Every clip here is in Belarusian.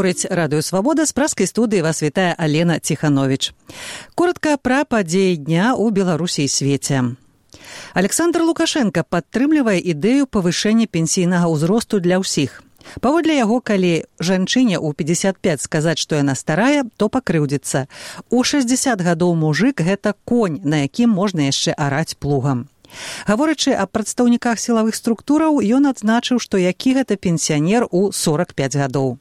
Гаворыць Радыё Свабода, з пражскай студыі вас вітае Алена Ціхановіч. Коротка пра падзеі дня ў Беларусі і свеце. Александр Лукашенко падтрымлівае ідэю павышэння пенсійнага ўзросту для ўсіх. Паводле яго, калі жанчыне ў 55 сказаць, што яна старая, то пакрыўдзіцца. У 60 гадоў мужык – гэта конь, на якім можна яшчэ араць плугам. Гаворачы аб прадстаўніках сілавых структураў, ён адзначыў, што які гэта пенсіянер у 45 гадоў.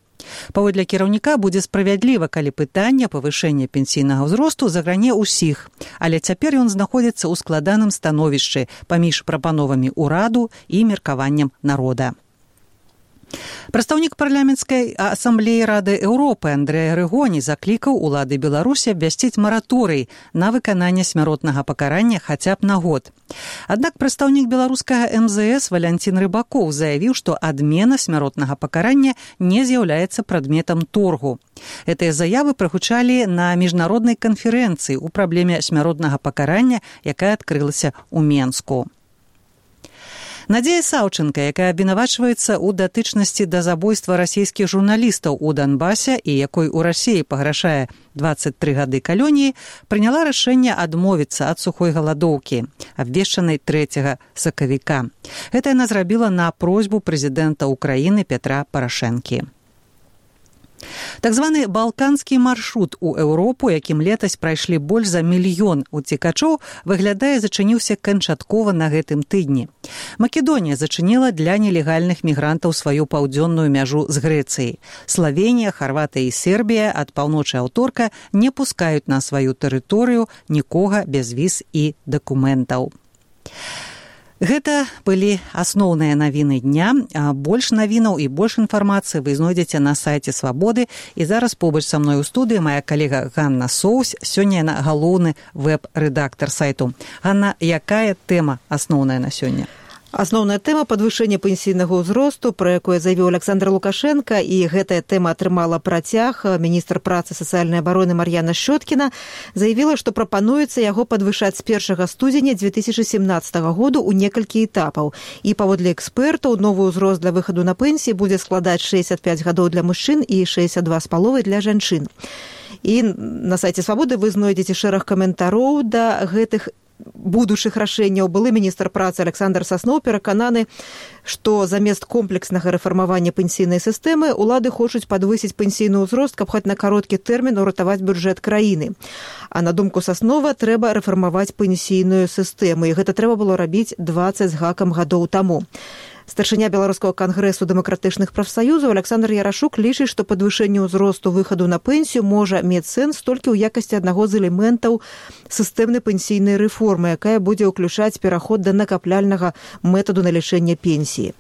Паводле кіраўніка будзе справядліва, калі пытанне павышэння пенсійнага ўзросту загране ўсіх, але цяпер ён знаходзіцца ў складаным становішчы паміж прапановамі ўраду і меркаваннем народа. Прадстаўнік парламенцкай асамблеі Рады Еўропы Андрэй Арыгоні заклікаў улады Беларусі абвясціць мараторый на выкананне смяротнага пакарання хаця б на год. Аднак прадстаўнік беларускага МЗС Валянцін Рыбакоў заявіў, што адмена смяротнага пакарання не з'яўляецца прадметам торгу. Гэтыя заявы прагучалі на міжнароднай канферэнцыі ў праблеме смяротнага пакарання, якая адкрылася ў Менску. Надзея Саўчынка, якая абвінавачваецца ў датычнасці да забойства расійскіх журналістаў у Донбасе і якой у Расіі паграшае 23 гады калоніі, прыняла рашэнне адмовіцца ад сухой галадоўкі, абвешчанай 3 сакавіка. Гэта яна зрабіла на просьбу прэзідэнта Украіны Петра Парашэнкі. Так званы балканскі маршрут у Еўропу, якім летась прайшлі больш за 1 мільён уцекачоў, выглядае, зачыніўся канчаткова на гэтым тыдні. Македонія зачыніла для нелегальных мігрантаў сваю паўдзённую мяжу з Грэцыяй. Славенія, Харватыя і Сербія ад паўночы аўторка не пускаюць на сваю тэрыторыю нікога без віз і дакументаў. Гэта былі асноўныя навіны дня. Больш навінаў і больш інфармацыі вы знойдзеце на сайце Свабоды. І зараз побач са мной у студыі моя калега Ганна Соўсь. Сёння яна галоўны вэб-рэдактар сайту. Ганна, якая тэма асноўная на сёння? Асноўная тэма падвышэння пенсійнага ўзросту, пра якое заявіў Александр Лукашенко, і гэтая тэма атрымала працяг. Міністр працы і сацыяльнай абароны Мар'яна Шчоткіна заявіла, што прапануецца яго падвышаць з 1 студзеня 2017 году ў некалькі этапаў. І паводле экспертаў, новы ўзрост для выхаду на пенсіі будзе складаць 65 гадоў для мужчын і 62,5 для жанчын. І на сайце Свабоды вы знойдзеце шэраг каментароў да гэтых будучых рашэнняў. Былы міністр працы Александр Сасноў перакананы, што замест комплекснага рэфармавання пенсійнай сістэмы улады хочуць падвысіць пенсійны ўзрост, каб хоць на кароткі тэрмін уратаваць бюджэт краіны. А на думку Саснова, трэба рэфармаваць пенсійную сістэму, і гэта трэба было рабіць 20 з гакам гадоў таму. Старшыня Беларускага кангрэсу дэмакратычных прафсаюзаў Александр Ярашук лічыць, што падвышэнне ўзросту выхаду на пенсію можа мець сэнс толькі ў якасці аднаго з элементаў сістэмнай пенсійнай рэформы, якая будзе ўключаць пераход да накапляльнага метаду налічэння пенсіі.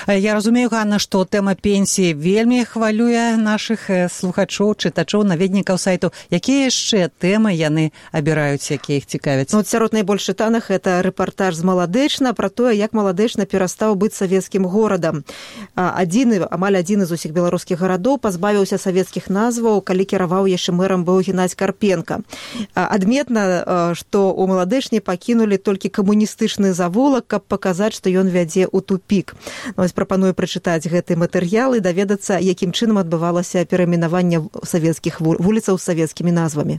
Я разумею, Ганна, што тэма пенсіі вельмі хвалюе нашых слухачоў, чытачоў, наведнікаў сайту. Якія яшчэ тэмы яны абіраюць, якія іх цікавяць? Сярод найбольш чытаных гэта рэпартаж з Маладэчна пра тое, як Маладэчна перастаў быць савецкім горадам. Амаль адзін з усіх беларускіх гарадоў пазбавіўся савецкіх назваў, калі кіраваў яшчэ мэрам быў Геннадзь Карпенка. Адметна, што ў Маладэчне пакінулі толькі камуністычны завулак, каб паказаць, што ён вядзе ў тупік. Прапаную прачытаць гэты матэрыял і даведацца, якім чынам адбывалася перайменаванне савецкіх вуліцаў з савецкімі назвамі.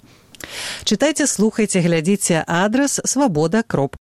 Чытайце, слухайце, глядзіце адрас свабода.ру.